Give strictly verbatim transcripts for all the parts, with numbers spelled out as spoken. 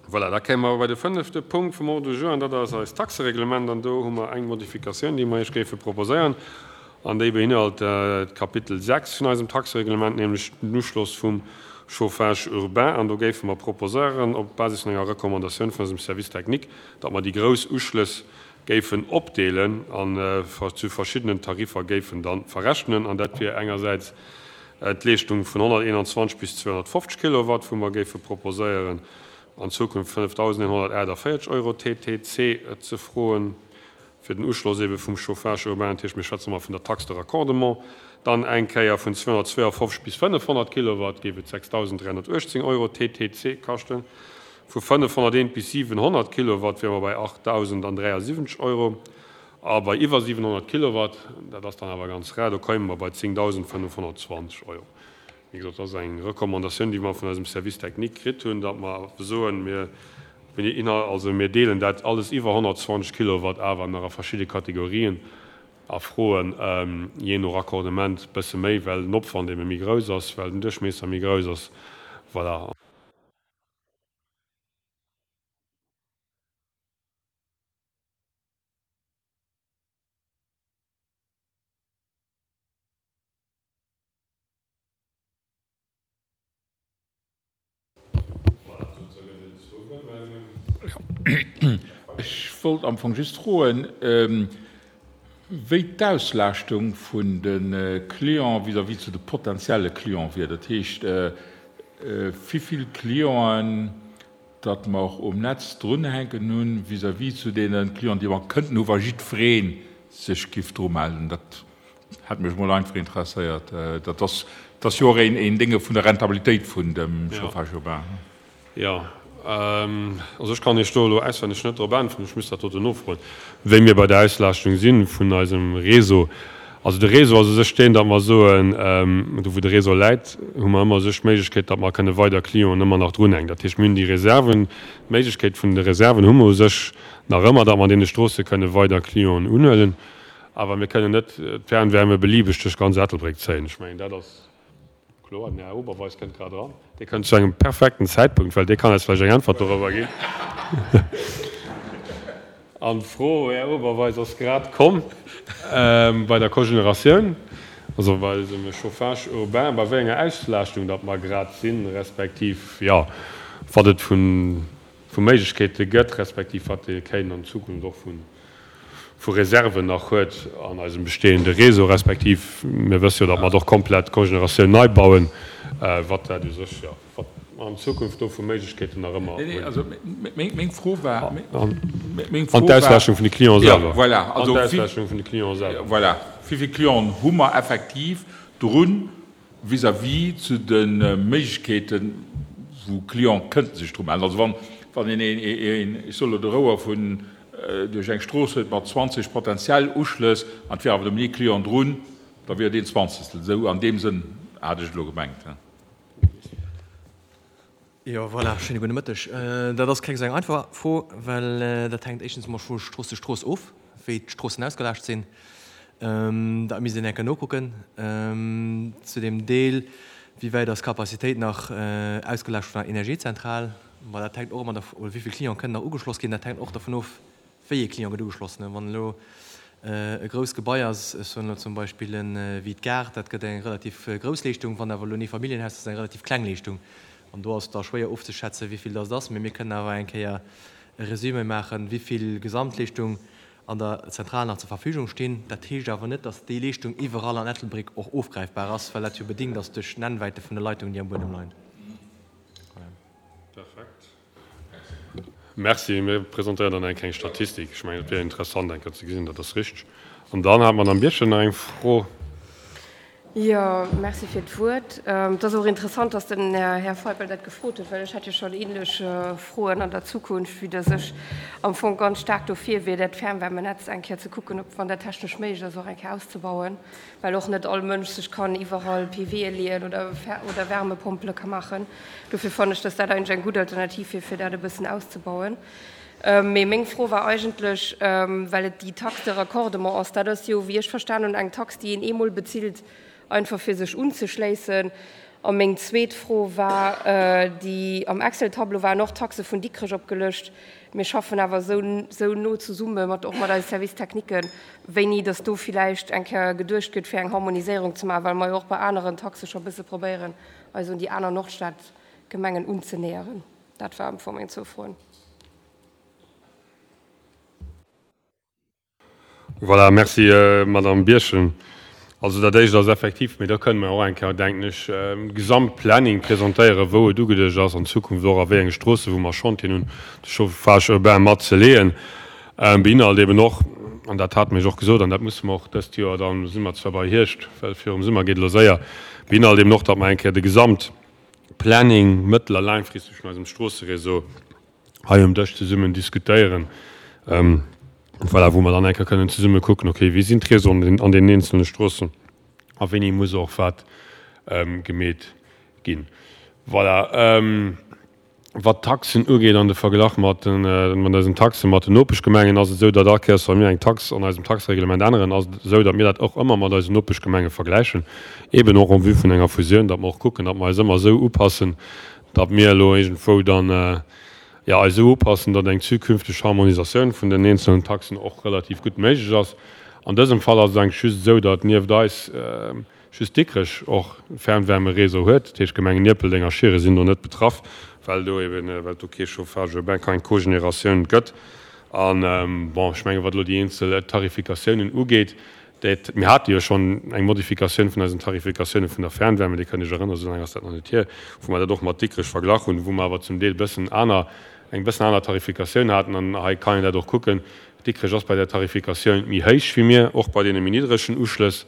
Voilà, da kéime mer bei de fënnefte Punkt vum Ordre du jour, an dat ass eist Taxereglement. An do hu mer eng Modifikatioun, déi mer Iech géife proposéieren, an déi beinhalt d'Kapitel sechs vun eisem Taxereglement, nämlech den Uschloss vum Chauffage urbain. An do géife mer proposéieren, op Basis vun enger Recommandatioun vun eisem Service technique, datt mer déi grouss Uschlëss géifen opdeelen an zu verschiddenen Tariffer géifen da verrechnen. An dat wier engersäits d'Leeschtung vun honnerteenanzwanzeg bis zweehonnertfofzeg Kilowatt, wou mer géife proposéieren, an Zukunft fënnefdausendeenhonnertaachtavéierzeg Euro T T C ze froen, fir den Uschloss ebe vum Chauffage urbain, dat heescht, mir schwätze mol vun der Taxe de raccordement. Dann eng Kéier vun zweehonnertzweeafofzeg bis fënnefhonnert Kilowatt géif et sechsdausenddräihonnertuechtzéng Euro T T C kaschten. Vu fënnefhonnerteent bis siwenhonnert Kilowatt wiere mer bei achttausendandräiasiwwenzeg Euro. A bei iwwer siwenhonnert Kilowatt, dat ass dann awer ganz rar, do kéime mer bei zéngdausendfënnefhonnertzwanzeg Euro. Wéi gesot, dat ass eng Recommandatioun, déi mer vun eisem Service technique kritt hunn, datt mer soen, mir, also mir deelen dat alles iwwer honnertzwanzeg Kilowatt awer nach a verschidde Kategorien a froen, jee no Raccordement bësse méi, well den Opwand ebe méi grouss ass, well den Duerchmiesser méi grouss ass. Voilà. Ech wollt am Fong just froen, wéi d'Auslaaschtung vun de Clienten vis-à-vis zu de potenzielle Clienten wier. Dat heescht, wéi vill Clienten datt mer um Netz drunhänken hunn vis-à-vis zu deene Clienten, déi mer kënnten hu wa jiddweree sech giff dru melden. Dat hätt mech mol einfach interesséiert. Dat ass, dat ass jo och een, een Dénge vun der Rentabilitéit vun dem Chauffage urbain. Jo, also ech kann Iech do elo auswenneg net drop äntweren, ech muss dat doten nofroen, wéi mir bei der Auslaaschtung si vun eisem Réseau. Also de Réseau ass u sech deen, datt mer soen, do wou de Réseau läit, hu mer ëmmer u sech d'Méiglechkeet, datt mer kënne weider Clienten ëmmer nach drunhänken. Dat heescht, mir hunn déi Reserven, d'Méiglechkeet vun de Reserven hu mer u sech nach ëmmer, datt mer an deene Stroosse kënne weider Clienten unhuelen. Awer mir kënnen net d'Fernwärme beliebeg duerch ganz Ettelbréck zéien. Ech mengen, dat ass kloer. Den Här Oberweis kënnt grad eran. Dee kënnt zu engem perfekten Zäitpunkt, well dee kann eis vläicht eng Äntwert dorobber ginn. An d'Fro, Här Oberweis, ass grad komm bei der Cogénératioun, also bei eisem Chauffage urbain, bei wéi enger Auslaaschtung datt mer grad sinn, respektiv, jo, wat et vu Méiglechkeete gëtt, respektiv wat ee kéint an Zukunft och vu vu Reserven nach huet an eisem bestehende Réseau, respektiv mir wësse jo, datt mer och komplett d'Cogénératioun nei bauen, wat dat u sech, jo, wat mer an Zukunft do vu Méiglechkeeten nach ëmmer hunn. Also meng Fro war, An d'Auslaaschtung vun de Clienten selwer. Voilà, also An d'Auslaaschtung vun de Clienten selwer. Voilà, wéi vill Clienten hu mer effektiv drun vis-à-vis zu de Méiglechkeeten, wou Clienten kënnten sech dru mellen? Also wann, wann een een, ech soe lo de Rouer vun duerch eng Strooss huet mat zwanzeg potenziell Uschlëss an et wier awer nëmmen ee Client drun, da wier et een Zwanzegstel. Esou an deem Sënn hat ech et elo gemengt. Jo, voilà, schéine gudde Mëtteg. Dat ass keng esou eng einfach Fro, well dat hänkt éischtens emol vu Strooss zu Strooss of, wéi d'Stroossen ausgelaascht sinn. Dat misst een eng Kéier nokucken. Zu deem Deel, wéi wäit ass d'Capacitéit nach ausgelaascht vun der Energiezentral, ma dat hänkt och ëmmer derv-, oder wéi vill Clienten kënnen nach ugeschloss ginn, dat hänkt och dervun of, wéi ee Client gëtt ugeschloss. Wann elo e grousst Gebai ass, ech soen elo zum Beispill wéi d'Gare, dat gëtt eng relativ grouss Leeschtung. Wann awer elo en Eefamilljenhaus ass, ass eng relativ kleng Leeschtung. An do ass et da schwéier ofzeschätzen, wéi vill dat ass. Mee mir kënnen awer eng Kéier e Résumé maachen, wéi vill Gesamtleeschtung an der Zentral nach zur Verfügung stinn. Dat heescht awer net, dass déi Leeschtung iwwerall an Ettelbréck och ofgräifbar ass, well dat jo bedingt ass duerch d'Nennwäite vun de Leitungen, déi am Buedem leien. Voilà. Perfekt. Merci. Mir presentéieren dann eng kleng Statistik. Ech mengen, et wier interessant, eng Kéier ze gesinn. Dat ass richteg. An dann hat d'Madame Birchen nach eng Fro. Jo, merci fir d'Wuert. Et ass och interessant, dass den Här Feipel dat gefrot huet, well ech hätt jo schonn ähnlech Froen an der Zukunft, vue dass ech am Fong ganz staark dofir wier, dat Fernwärmenetz eng Kéier ze kucken, ob, wann dat technesch méiglech ass, och eng Kéier auszebauen, well och net all Mënsch sech kann iwwerall P W'e leeën oder oder Wärmepompele ka maachen. Dofir fannen ech, dass dat eigentlech eng gutt Alternativ wier, fir dat e bëssen auszebauen. Mee meng Fro war eigentlech, well et déi Taxe de raccordement ass, dat ass jo, wéi ech verstan hunn, eng Tax, déi een eemol bezilt, einfach fir sech unzeschléissen. A meng zweet Fro war, déi am Excel-Tableau waren och d'Taxe vun Dikrech opgelëscht. Mir schaffen awer esou, esou no zesumme mat, och mat eise Service techniquen, wéini dass do villäicht eng Kéier geduecht gëtt, fir eng Harmoniséierung ze maachen, well mer jo och bei aneren Taxe scho e bësse probéieren, eis un déi aner Nordstadgemengen unzenäheren. Dat war am Fong meng zwou Froen. Voilà, merci, Madame Birchen. Also dat Éischt ass effektiv, mee do kënne mer och eng Kéier, denken ech, e Gesamtplanning presentéieren, wou et ugeduecht ass an Zukunft och a wéi enge Stroosse wou mer Chantieren hunn, de Chauffage urbain mat ze leeën. Beinhalt eben och, an dat hate mir jo och gesot, an dat musse mer och dëst Joer, da si mer zwar bei Hierscht, well virum Summer geet elo séier, beinhalt eben och, datt mer eng Kéier de Gesamtplanning mëttel a laangfristeg vun eisem Stroosseréseau hei um Dësch zesummen diskutéieren. Voilà, wou mer dann eng Kéier kënnen zesumme kucken, okay, wéi sinn d'Réseauen an deenen eenzelne Stroossen a wéini muss och wat gemeet ginn. Voilà, wat d'Taxen ugeet an de Verglach mat den, mat eisen Taxe mat den Nopeschgemengen, ass et esou, datt all Kéiers, wa mir eng Tax an eisem Taxereglement änneren, ass et esou, datt mir dat och ëmmer mat eisen Nopeschgemenge vergläichen, eeben och en vue vun enger Fusioun, datt mer och kucken, datt mer eis ëmmer esou upassen, datt mir elo iergendwou dann, jo, eis esou upassen, datt eng zukünfteg Harmonisatioun vun den eenzelnen Taxen och relativ gutt méiglech ass. An dësem Fall ass et eigentlech just esou, datt nieft eis just Dikrech och Fernwärmeréseau huet. Dat heescht, d'Gemengen Ierpeldeng a Schieren sinn do net betraff, well do eben, well et do kee Chauffage urbain, keng Cogénératioun gëtt. An, bon, ech mengen, wat elo déi eenzel Tarifikatiounen ugeet, Dat, mir hate jo schonn eng Modifikatioun vun eisen Tarifikatioune vun der Fernwärme, Dir kënnt Iech erënneren, esou laang ass dat nach net hier, wou mer dat och mat Dikrech verglach hunn, wou mer awer zum Deel bëssen aner, eng bëssen aner Tarifikatioun haten. An hei kann een dat och kucken, Dikrech ass bei der Tarifikatioun méi héich wéi mir, och bei deene méi niddregen Uschlëss.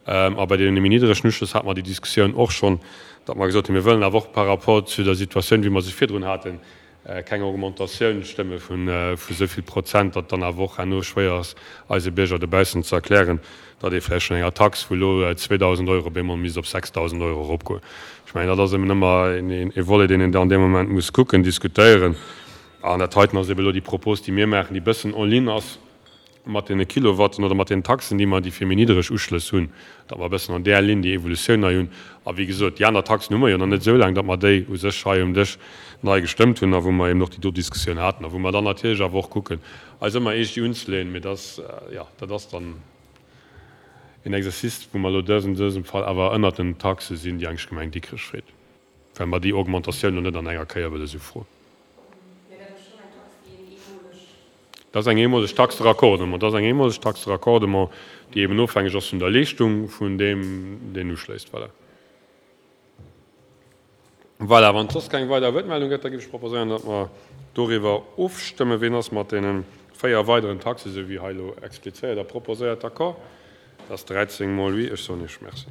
A bei deene méi niddregen Uschlëss hate mer déi Diskussioun och schonn, datt mer gesot hunn, mir wëllen awer och par rapport zu der Situatioun, wéi mer se virdrun haten, keng Augmentatioun stëmme vun esou vill Prozent, datt dann awer och herno schwéier ass, eise Bierger dobaussen ze erklären, datt ee vläicht vun enger Tax vu elo zweedausend Euro op eemol misst op sechsdausend Euro eropgoen. Ech mengen, dat ass eben ëmmer e Volet, deen een an deem Moment muss kucken, diskutéieren. An dat heiten ass eben elo déi Propos, déi mir maachen, déi e bëssen en ligne ass mat deene Kilowatten oder mat deenen Taxen, déi mer, déi fir méi niddereg Uschlëss hunn, datt mer e bëssen an där Linn déi Evolutioun hei hunn. A wéi gesot, déi aner Taxen hu mer jo nach net esou laang, datt mer déi u sech hei um Dësch nei gestëmmt hunn a wou mer eben och déi do Diskussioun haten a wou mer dann natierlech awer och kucken, eis ëmmer eescht déi unzeleeën. Mee dat, jo, dat ass dann een Exercice, wou mer elo dësen, dësem Fall awer ënnert den Taxe sinn, déi eigentlech d'Gemeng Dikrech freet, well mer déi Augmentatioun elo net an enger Kéier wëlle sou froen. Dat ass eng eemoleg Taxe de raccordement. Dat ass eng eemoleg Taxe de raccordement, déi eben ofhängeg ass vun der Leeschtung vun deem, deen uschléisst. Voilà. Voilà, wann et soss keng weider Wuertmeldung gëtt, da géif ech proposéieren, datt mer doriwwer ofstëmmen. Ween ass mat deene véier weideren Taxen, esou wéi hei elo explizéiert a proposéiert, d'accord? Dat ass dräizéng mol oui. Ech soen Iech Merci.